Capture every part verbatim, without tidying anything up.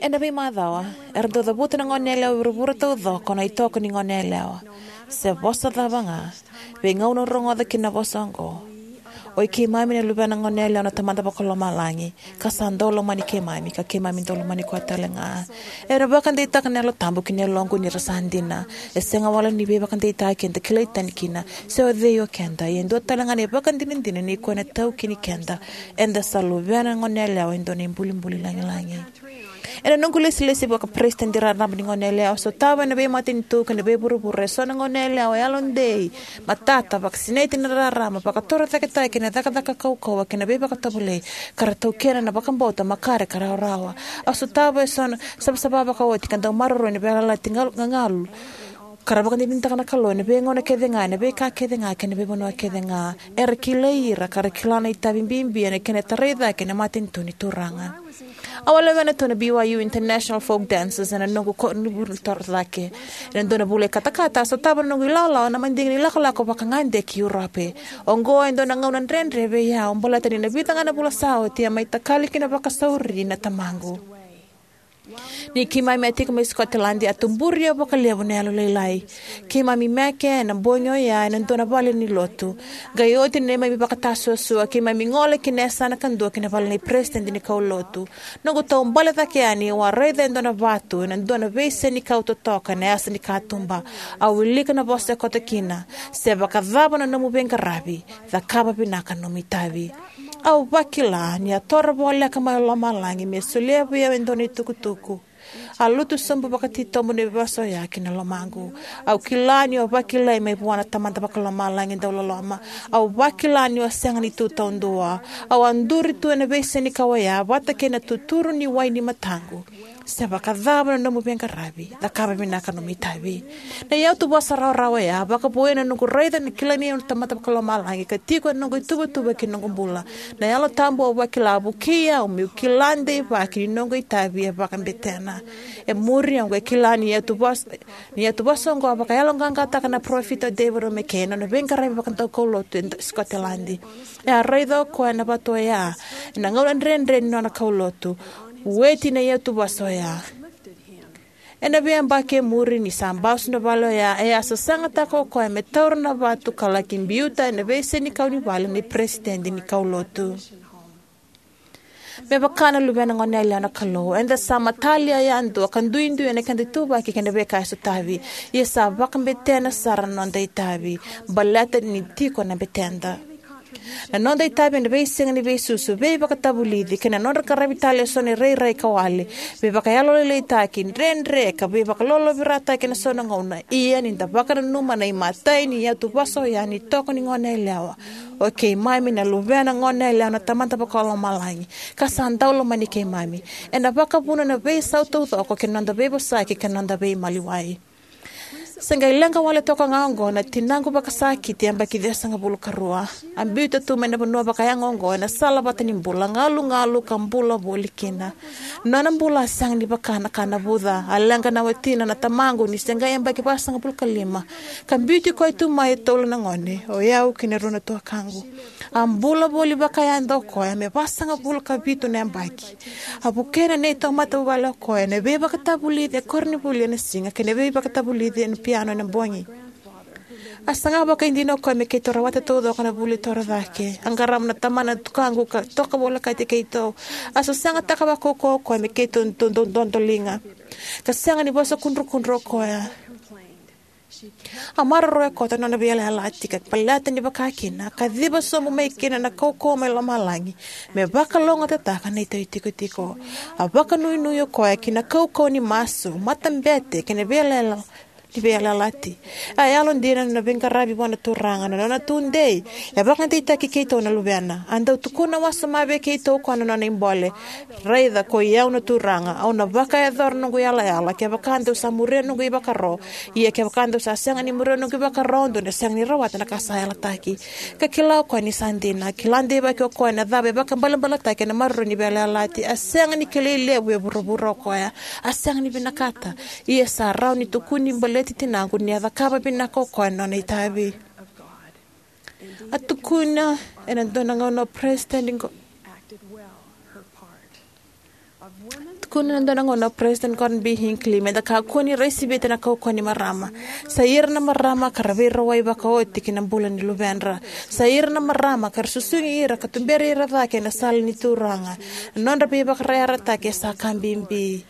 Ena veimacawa, era dau cavuta na goneyalewa e vuravura taucoko na itoko ni goneyalewa. Se vosa cava ga, veigauna au rogoca kina na vosa oqo: "Oi keimami na luvena goneyalewa na Tamada Vakalomalagi, ka sa dau lomani keimami, ka keimami dau lomani koya tale ga." Era vakadeitaka na Yalo Tabu ki na yaloqu ni ra sa dina. E sega wale ni veivakadeitaki eda kilai tani kina se o cei o keda, ia e dua tale ga na ivakadinadina ni koya na taukeni keda. Eda sa luvena goneyalewa e dua na ibulibuli lagilagi. Ena noqu ilesilesi vaka-peresitedi raraba ni goneyalewa, au sotava ena veimatanitu kei na veivuravura eso na goneyalewa yalodei, matata, vakasinaiti ena rarama, vakatorocaketaki ena cakacaka kaukauwa kei na veivakatovolei, ka ra taukena na vakabauta, makare, ka rawarawa. Au sotava eso na savasava vakaoti ka dau maroroi na veiyalayalati gal-, gagalu, ka ra vakadinadinataka na Kalou ena veigauna kece ga, ena veika kece ga, kei na veivanua kece ga. Era kilai ira, ka ra kila na itavi bibi ena kena tarai cake na matanitu ni Turaga. Au a lewena tu na B Y U International Folk Dancers ena noqu koronivuli torocake. Ena dua na vula i katakata, a sotava na noqu ilawalawa na madigi ni lakolako vakagade ki Urope. Oqo e dua na gauna dredre vei au, baleta ni na vica ga na vula sa oti a mai takali kina vakasauri na tamaqu. Ni keimami a tiko mai Sikoteladi, a tuburi au vakalevu na yalolailai. Keimami meke ena bogi oya ena dua na vale ni lotu. Qai oti na neimami vakatasuasua, keimami gole ki na yasana kadua ki na vale nei peresitedi ni kaulotu. Noqu taubale cake yani, au a raica e dua na vatu ena dua na veisenikau totoka ena yasa ni katuba. Au wilika na vosa e koto kina: "Se vakacava na nomu veiqaravi, cakava vinaka na nomu itavi." Au vakila ni a toro voleka mai lomalagi me solia vei au e dua na itukutuku. A lutu sobu vakatitobu na vosa oya ki na lomaqu. Au kila niu a vakilai mai vua na Tamada Vakalomalagi dauloloma. Au vakila niu a sega ni tu taudua. Au a duri tu ena veisenikau oya vata kei na tuturu ni wai ni mataqu: "Se vakacava na nomu veiqaravi, cakava vinaka na nomu itavi." Na iyatuvosa rawarawa oya a vakavouya na noqu raica ni kilai au na Tamada Vakalomalagi ka tiko ena noqu ituvatuva kei na noqu bula. Na Yalo Tabu, au vakila, a vukei au meu kila deivaki ni noqu itavi e vakabetena. E muri oqo, e kila ni iyatuvosa, ni iyatuvosa oqo a vakayaloqaqataka na parofita o David O. McKay ena nona veiqaravi vakadaukaulotu e Sikoteladi. E a raica o koya na vatu oya ena gauna dredre ni nona kaulotu. Vueti na iyatuvosa oya. Ena veiyabaki e muri, ni sa basu na vale oya, e a sasagataka o koya me taura na vatu ka laki biuta ena veisenikau ni vale ni peresitedi ni kaulotu. Me vaka na luvena goneyalewa na Kalou, eda sa matalia yadua ka duidui ena keda ituvaki kei na veika e sotavi. Ia sa vakabetena sara na noda itavi, baleta ni tiko na beteda. Na noda itavi ena veisiga ni veisusu, veivakatavulici, kei na nodra qaravi tale eso na irairai ka wale, veivakayalolailaitaki, dredre, ka veivakalolovirataki ena so na gauna. Ia ni da vakananuma na imatai ni iyatuvosa oya ni toko ni goneyalewa: "O keimami na luvena goneyalewa na Tamada Vakalomalagi, ka sa dau lomani keimami," ena vakavuna na veisau taucoko kei na noda veivosaki kei na noda veimaliwai. Se qai leqa wale toka ga oqo na tinaqu vakasakiti, yabaki ciwasagavulu ka rua. A biuta tu mai na vanua vakayago oqo ena sala vata ni bula, galugalu ka bula voli kina. Na nona bula a sega ni vaka na ka navuca. A leqa na watina, na tamaqu, ni se qai yabaki vasagavulu ka lima, ka biuti koya tu mai e tolu na gone, o yau kei na rua na tuakaqu. A bula voli vakayada o koya me vasagavulu ka vitu na yabaki. A vukea na neitou matavuvale o koya ena veivakatavulici e koronivuli ena siga kei na veivakatavulici ena piano ena bogi. A saga vakaidina o koya me keitou rawata taucoko na vuli torocake. A qarava na tamana na tukaqu ka toka volekati keitou. A sasagataka vakaukauwa o koya me keitou dodoliga, ka sega ni vosa kudrukudru o koya. A maroroya koto na nona veiyalayalati, ka baleta ni vaka kina, a kaciva sobu mai kina na kaukauwa mai lomalagi me vakalougatataka na neitou itikotiko. A vakanuinui o koya ki na kaukauwa ni masu, matabete, kei na veiyalaya ni veiyalayalati. A yalodina na nona veiqaravi vua na Turaga, na nona tudei. E vakadeitaki keitou na luvena. A dau tukuna wasoma vei keitou o koya na nona ibole: "Raica, koi au na Turaga, au na vakayacora noqu yalayala kevaka dou sa muria noqu ivakaro. Ia kevaka dou sa sega ni muria noqu ivakaro, dou na sega ni rawata na ka sa yalataki." Ka kila o koya ni sa dina. Kila deivaki o koya na cava e vakabalebaletaki ena maroroi ni veiyalayalati. A sega ni kilai levu e vuravura o koya. A sega ni vinakata. Ia sa rawa ni tukuni baleti tinaqu ni a cakava vinaka o koya na nona itavi. A tukuna ena dua na gauna o Peresitedi Go- Tukuna ena dua na gauna o President Gordon B. Hinckley me da kakua ni rai sivita na kaukauwa ni marama. Sa ira na marama ka ra veirawai vakaoti ki na bula ni luvedra. Sa ira na marama ka ra susugi ira ka tuberi ira cake ena sala ni Turaga. Na nodra veivakayarayarataki e sa ka bibi.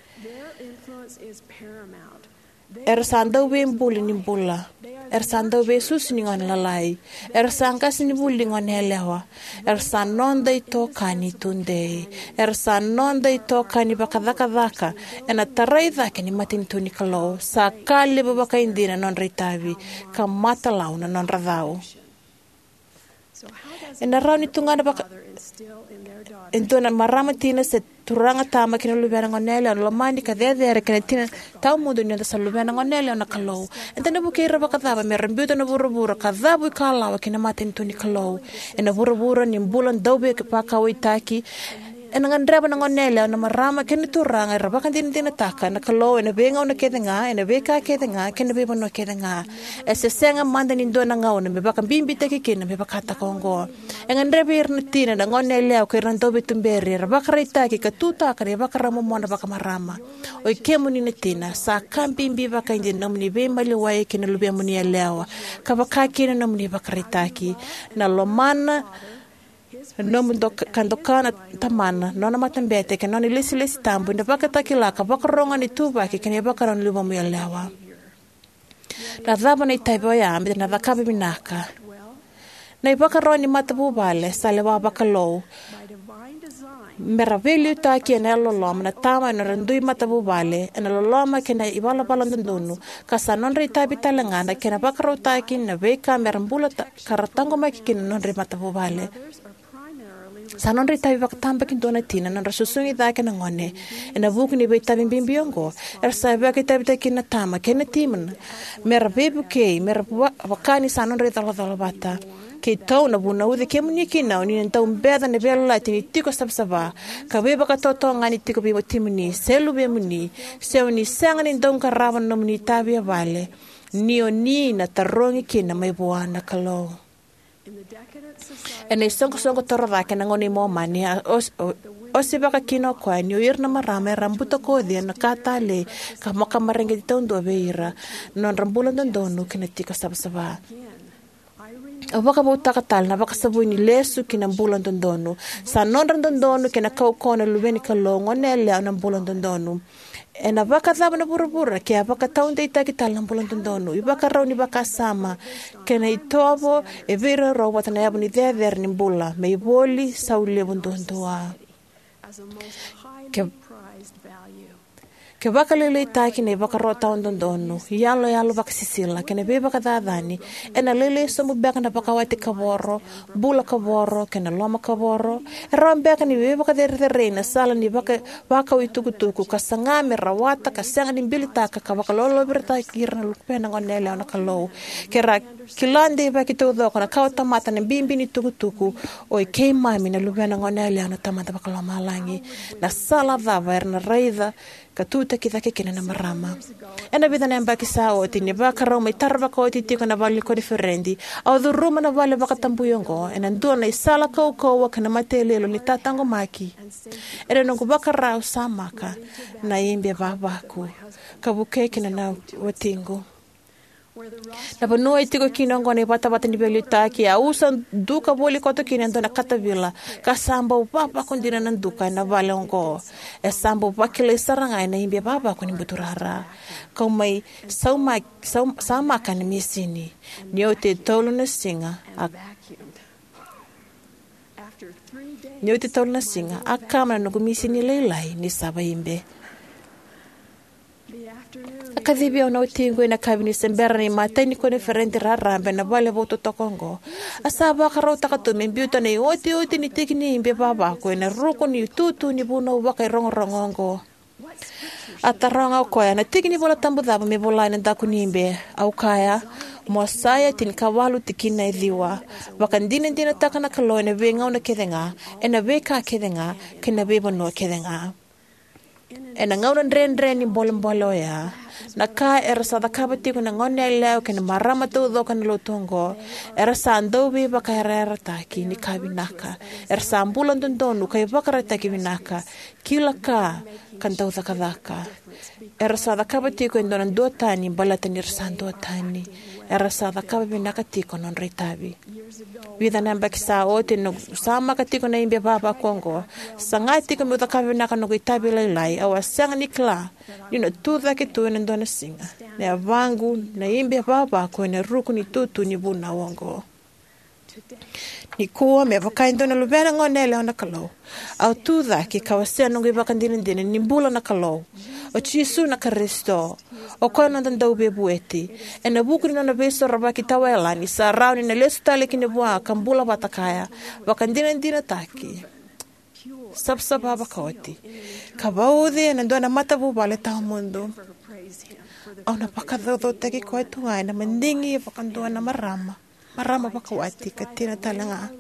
Era sa dauveibuli ni bula. Era sa dauveisusu ni gone lalai. Era sa qasenivuli ni gone yalewa. Era sa noda itokani tudei. Era sa noda itokani vakacakacaka ena tarai cake ni matanitu ni Kalou. Sa ka levu vakaidina na nodra itavi, ka matalau na nodra cau. Ena rawa ni tugana vaka e dua na marama tina se turaga tama ki na luvena gone yalewa na lomani ka cecere kei na tina tawamudu ni noda sa luvena gone yalewa na Kalou? Eda na vukei ira vakacava me ra biuta na vuravura ka cavu ikalawa ki na matanitu ni Kalou? Ena vuravura ni bula dauveivakauwaitaki, ena gadreva na gone yalewa na marama kei na turaga era vakadinadinataka na Kalou ena veigauna kece ga, ena veika kece ga, kei na veivanua kece ga. E se sega mada ni dua na gauna me vakabibitaki kina me vakataka oqo. E gadrevi ira na tina, na gone yalewa kei ira na dauveituberi era vakaraitaki ka tutaka na ivakarau momona vakamarama. Oi kemuni na tina, sa ka bibi vakaidina na nomuni veimaliwai kei na luvemuni yalewa, ka vaka kina na nomuni vakaraitaki. Na lomana, na nomu doka, ka doka na tamana, nona matabete kei na nona ilesilesi tabu ena vakatakila ka vakarogo na ituvaki kei na ivakarau ni luvemu yalewa. Na cava na itavi oya me da na cakava vinaka? Na ivakarau ni matavuvale sa lewa vakalou. Me ra veiliutaki ena yalololoma na tama ena nodra dui matavuvale ena loloma kei na ivalavala dodonu, ka sa nodra itavi tale ga na kena vakarautaki na veika me ra bula ta, ka ra taqomaki kina na nodra matavuvale. Sa nodra itavi vakatabakidua na tina na nodra susugi cake na gone. Ena vuku ni veitavi bibi oqo, era sa vakaitavitaki kina na tama kei na tina me ra veivukei, me ra va, vaka ni sa nodra icolacola vata. Keitou na vunauci kemuni kina o ni na dau beca na veiyalayalati ni tiko savasava ka veivakatotogani tiko vei watimuni se luvemuni, se o ni sega ni dau qarava na nomuni itavi e vale, ni o ni na tarogi kina mai vua na Kalou. Ena isoqosoqo torocake ena gauna i Momani, a os, o, osivaka kina o koya ni o ira na marama era a butakoci ena ka talei ka vakamareqeti taudua vei ira, na nodra bula dodonu kei na tiko savasava. Au vakavoutaka tale na vakasavui ni lesu ki na bula dodonu. Sa nodra dodonu kei na kaukauwa na luve ni Kalou, gone yalewa, na bula dodonu. Ena vakacava na vuravura ke a vakataudeitaki tale na bula dodonu, ivakarau ni vakasama, kei na itovo e veiraurau vata na yavu ni cecere ni bula me ivoli sau levu duadua? Ke, ke vakalailaitaki na ivakarau tawa dodonu, iyaloyalo vakasisila, kei na veivakacacani, ena lailai sobu beka na vakawati kavoro, bula kavoro, kei na loma kavoro? E rawa beka ni veivakacerecerei na sala ni vaka, vakau itukutuku, ka saga me rawata, ka sega ni bilitaka, ka vakalolovirataki ira na luvena gone yalewa na Kalou? Ke ra kila deivaki taucoko na kawatamata na bibi ni tukutuku, oi keimami na luvena gone yalewa na Tamada Vakalomalagi. Na sala cava era na raica ka tutaki cake kina na marama? Ena vica na yabaki sa oti, ni vakarau mai tara vakaoti tiko na vale ni koniferedi, au curuma na vale vakatabui oqo ena dua na isala kaukauwa kei na matailoilo ni tataqomaki. Ena noqu vakarau, samaka na ibe vavaku ka vukei kina na watiqu. Na vanua e tiko kina oqo na ivatavata ni veiliutaki, a usa duka voli koto kina e dua na katavila, ka sa bau vavaku dina na duka ena vale oqo. E sa bau vakilai sara ga ena ibe vavaku ni buturara. Kau mai sauma, sau, samaka na misini. Ni oti e tolu na siga, a Ni oti tolu na siga, a kama na noqu misini lailai ni sava ibe. A kacivi au na watiqu ena yakavi ni se bera na imatai ni koniferedi raraba ena vale vou totoka oqo. A sa vakarautaka tu me biuta na iotioti ni tiki ni ibe vavaku ena ruku ni tutu ni vunau vakairogorogo oqo. A taroga o koya, na tiki ni Vola Tabu cava me vola ena daku ni ibe? Au kaya, Mosaia tinikawalu tikina e ciwa. Vakadinadinataka na Kalou ena veigauna kece ga, ena veika kece ga, kei na veivanua kece ga. Ena gauna dredre ni bolebole oya, Na ka era sa cakava tiko na goneyalewa kei na marama taucoko ena lotu oqo, era sa dauveivakayarayarataki ni ka vinaka. Era sa bula dodonu ka ivakaraitaki vinaka, kila ka, ka dau cakacaka. Era sa cakava tiko e dua na duatani baleta ni ra sa duatani. Era sa cakava vinaka tiko na nodra itavi. Vica na yabaki sa oti, ena noqu samaka tiko na ibe vavaku oqo, saga tiko meu cakava vinaka na noqu itavi lailai, au a sega ni kila niu na tucake tu ena dua na siga. Na yavaqu, na ibe vavaku ena ruku ni tutu ni vunau oqo. Nikua, me vaka e dua na luvena goneyalewa na Kalou, au tucake ka wasea noqu ivakadinadina ni bula na Kalou. O Jisu na Karisito, o koya na noda Dauveivueti. Ena vuku ni nona veisorovaki tawayalani, sa rawa ni na lesu tale kina vua ka bula vata kaya, vakadinadinataki, savasava vakaoti, ka vauci ena dua na matavuvale tawamudu. Au na vakacaucautaki koya tu ga ena madigi vakadua na marama, marama vakawati ka tina tale ga.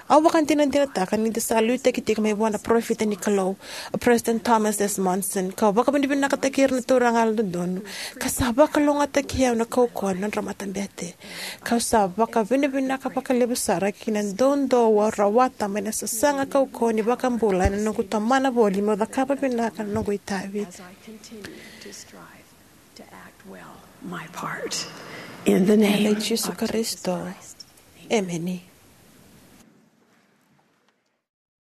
Au vakadinadinataka ni da sa liutaki tiko mai vua na parofita ni Kalou, o President Thomas S. Monson, kau vakavinavinakataki ira na turaga yalododonu, ka sa vakalougatataki au na kaukauwa ni nodra matabete. Kau sa vakavinavinaka vakalevu sara ki na doudou au rawata mai na sasaga kaukauwa ni iVakabula ena noqu tomana voli meu cakava vinaka na noqu itavi. Ena yaca i Jisu Karisito, emeni.